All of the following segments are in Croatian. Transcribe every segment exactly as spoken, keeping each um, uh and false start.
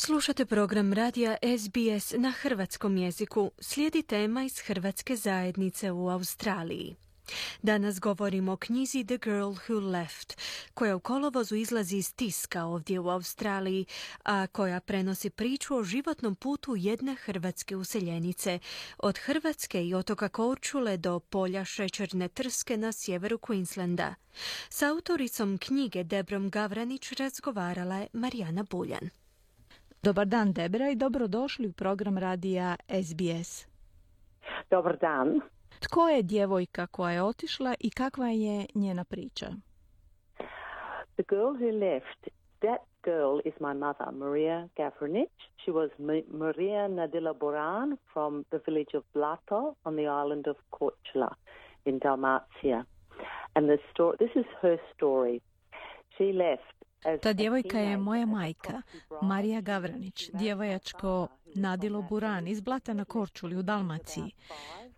Slušate program radija S B S na hrvatskom jeziku. Slijedi tema iz hrvatske zajednice u Australiji. Danas govorimo o knjizi The Girl Who Left, koja u kolovozu izlazi iz tiska ovdje u Australiji, a koja prenosi priču o životnom putu jedne hrvatske useljenice, od Hrvatske i otoka Korčule do polja šećerne trske na sjeveru Queenslanda. S autoricom knjige Debrom Gavranić razgovarala je Marijana Buljan. Dobar dan, Debra, i dobrodošli u program radija S B S. Dobar dan. Tko je djevojka koja je otišla i kakva je njena priča? The girl who left, that girl is my mother, Maria Gavranić. She was M- Maria Nadila Boran from the village of Blato on the island of Korčula in Dalmatia. And the story, this is her story. She left. Ta djevojka je moja majka, Marija Gavranić, djevojačko Nadilo Buran iz Blata na Korčuli u Dalmaciji.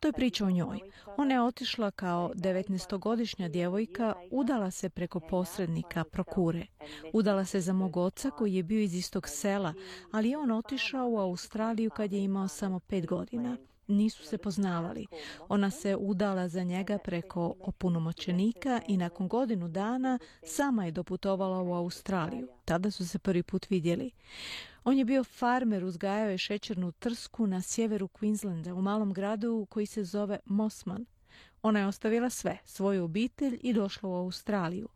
To je priča o njoj. Ona je otišla kao devetnaestogodišnja djevojka, udala se preko posrednika Prokure. Udala se za mog oca koji je bio iz istog sela, ali je on otišao u Australiju kad je imao samo pet godina. Nisu se poznavali. Ona se udala za njega preko opunomoćenika i nakon godinu dana sama je doputovala u Australiju. Tada su se prvi put vidjeli. On je bio farmer, uzgajao je šećernu trsku na sjeveru Queenslanda u malom gradu koji se zove Mosman. Ona je ostavila sve, svoju obitelj i došla u Australiju.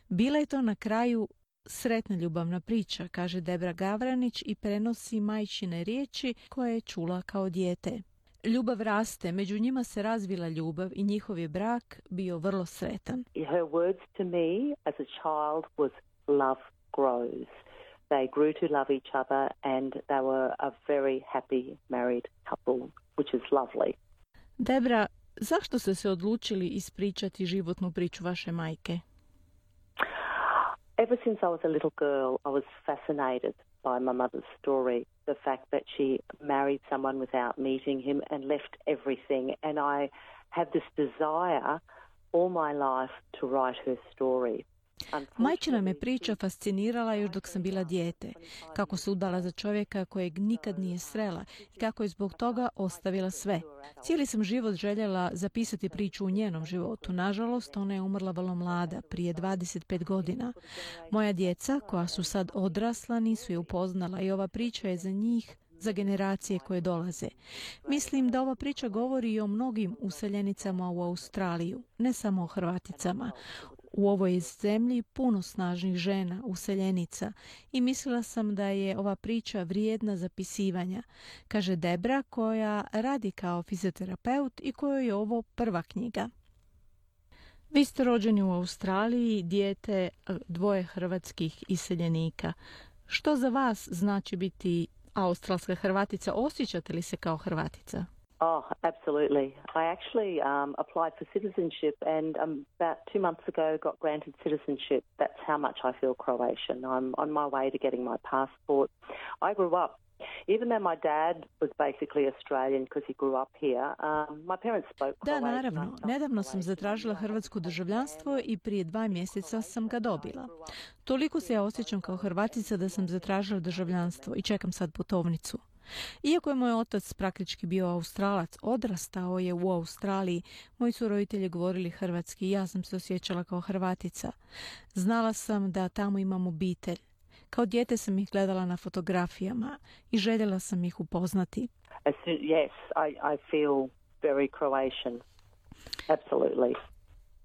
Bila je to na kraju sretna ljubavna priča, kaže Debra Gavranić i prenosi majčine riječi koje je čula kao dijete. Ljubav raste, među njima se razvila ljubav i njihov je brak bio vrlo sretan. Her words to me as a child was love grows. They grew to love each other and they were a very happy married couple, which is lovely. Debra, zašto ste se odlučili ispričati životnu priču vaše majke? Ever since I was a little girl, I was fascinated by my mother's story, the fact that she married someone without meeting him and left everything. And I have this desire all my life to write her story. Majčina me priča fascinirala još dok sam bila dijete, kako se udala za čovjeka kojeg nikad nije srela i kako je zbog toga ostavila sve. Cijeli sam život željela zapisati priču u njenom životu. Nažalost, ona je umrla vrlo mlada, prije dvadeset pet godina. Moja djeca, koja su sad odrasla, nisu je upoznala i ova priča je za njih, za generacije koje dolaze. Mislim da ova priča govori i o mnogim useljenicama u Australiju, ne samo o Hrvaticama. U ovoj zemlji puno snažnih žena, useljenica, i mislila sam da je ova priča vrijedna zapisivanja, kaže Debra, koja radi kao fizioterapeut i kojoj je ovo prva knjiga. Vi ste rođeni u Australiji, dijete dvoje hrvatskih iseljenika. Što za vas znači biti australska Hrvatica? Osjećate li se kao Hrvatica? Oh, absolutely. I actually um, applied for citizenship and um, about two months ago got granted citizenship. That's how much I feel Croatian. I'm on my way to getting my passport. I grew up, even though my dad was basically Australian because he grew up here, um, my parents spoke Croatian. Da, naravno. Nedavno sam zatražila hrvatsko državljanstvo i prije dva mjeseca sam ga dobila. Toliko se ja osjećam kao Hrvatica da sam zatražila državljanstvo i čekam sad putovnicu. Iako je moj otac praktički bio Australac, odrastao je u Australiji, moji su roditelji govorili hrvatski i ja sam se osjećala kao Hrvatica. Znala sam da tamo imam obitelj. Kao dijete sam ih gledala na fotografijama i željela sam ih upoznati. Yes, I, I feel very Croatian. Absolutely.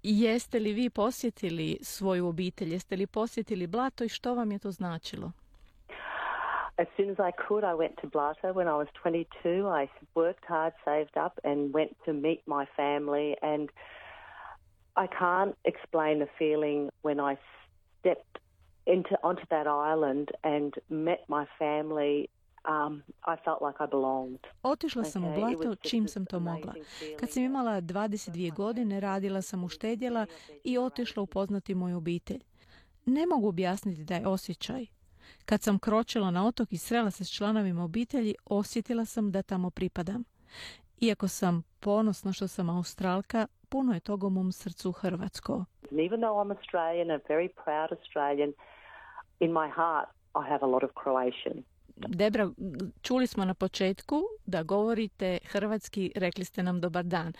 Jeste li vi posjetili svoju obitelj? Jeste li posjetili Blato i što vam je to značilo? As soon as I could, I went to Blato when I was twenty-two. I worked hard, saved up, and went to meet my family. And I can't explain the feeling when I stepped into onto that island and met my family. Um, I felt like I belonged. Otišla sam u Blato čim sam to mogla. Kad sam imala dvadeset dvije godine, radila sam uštedjela i otišla upoznati moju obitelj. Ne mogu objasniti da je osjećaj. Kad sam kročila na otok i srela se s članovima obitelji, osjetila sam da tamo pripadam. Iako sam ponosna što sam Australka, puno je toga u mom srcu hrvatsko. Even though I'm Australian, a very proud Australian, in my heart I have a lot of Croatian. Debra, čuli smo na početku da govorite hrvatski, rekli ste nam dobar dan.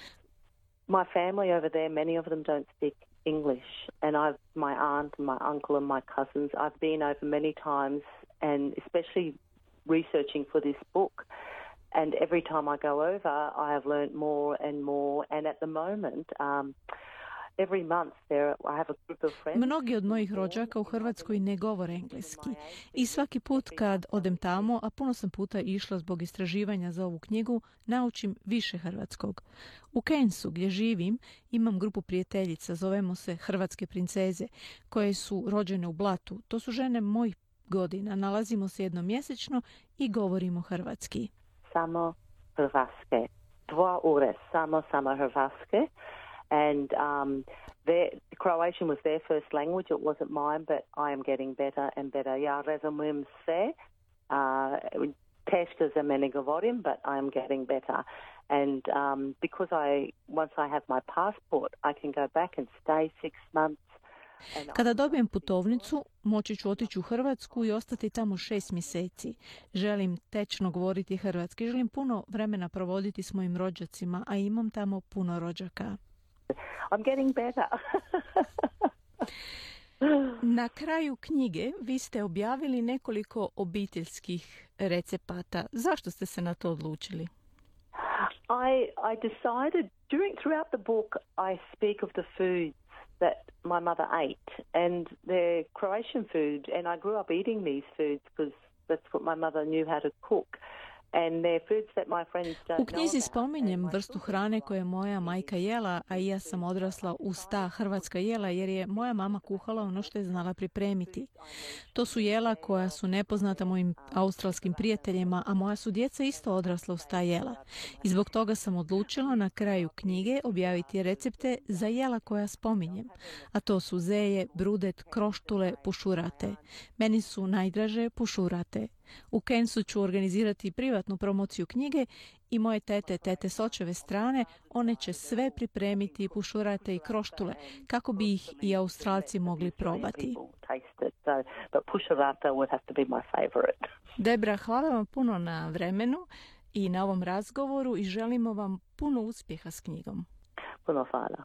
My family over there, many of them don't speak English, and I've my aunt, my uncle, and my cousins. I've been over many times, and especially researching for this book. And every time I go over, I have learnt more and more. And at the moment, um, every month there, I have a group of friends. Mnogi od mojih rođaka u Hrvatskoj ne govore engleski i svaki put kad odem tamo, a puno sam puta išla zbog istraživanja za ovu knjigu, naučim više hrvatskog. U Kensu, gdje živim, imam grupu prijateljica, zovemo se Hrvatske princeze, koje su rođene u Blatu. To su žene mojih godina, nalazimo se jednomjesečno i govorimo hrvatski. Samo hrvatske. Dva ure, samo, samo hrvatske. And um, their, Croatian was their first language. It wasn't mine, but I am getting better and better. Ja razumijem sve. Uh, teško za mene govorim, but I am getting better. And um, because I, once I have my passport, I can go back and stay six months. Kada dobijem putovnicu, moći ću otići u Hrvatsku i ostati tamo šest mjeseci. Želim tečno govoriti hrvatski. Želim puno vremena provoditi s mojim rođacima, a imam tamo puno rođaka. I'm getting better. Na kraju knjige vi ste objavili nekoliko obiteljskih recepata. Zašto ste se na to odlučili? I, I decided, during, throughout the book, I speak of the foods that my mother ate, and they're Croatian food, and I grew up eating these foods because that's what my mother knew how to cook. And they're foods that my friends don't U knjizi know about. spominjem vrstu hrane koje je moja majka jela, a i ja sam odrasla uz ta hrvatska jela jer je moja mama kuhala ono što je znala pripremiti. To su jela koja su nepoznata mojim australskim prijateljima, a moja su djeca isto odrasla uz ta jela. I zbog toga sam odlučila na kraju knjige objaviti recepte za jela koja spominjem. A to su zeje, brudet, kroštule, pušurate. Meni su najdraže pušurate. U Kensu ću organizirati privatnu promociju knjige i moje tete, tete s očeve strane, one će sve pripremiti, pušurate i kroštule, kako bi ih i Australci mogli probati. Debra, hvala vam puno na vremenu i na ovom razgovoru i želimo vam puno uspjeha s knjigom. Puno hvala.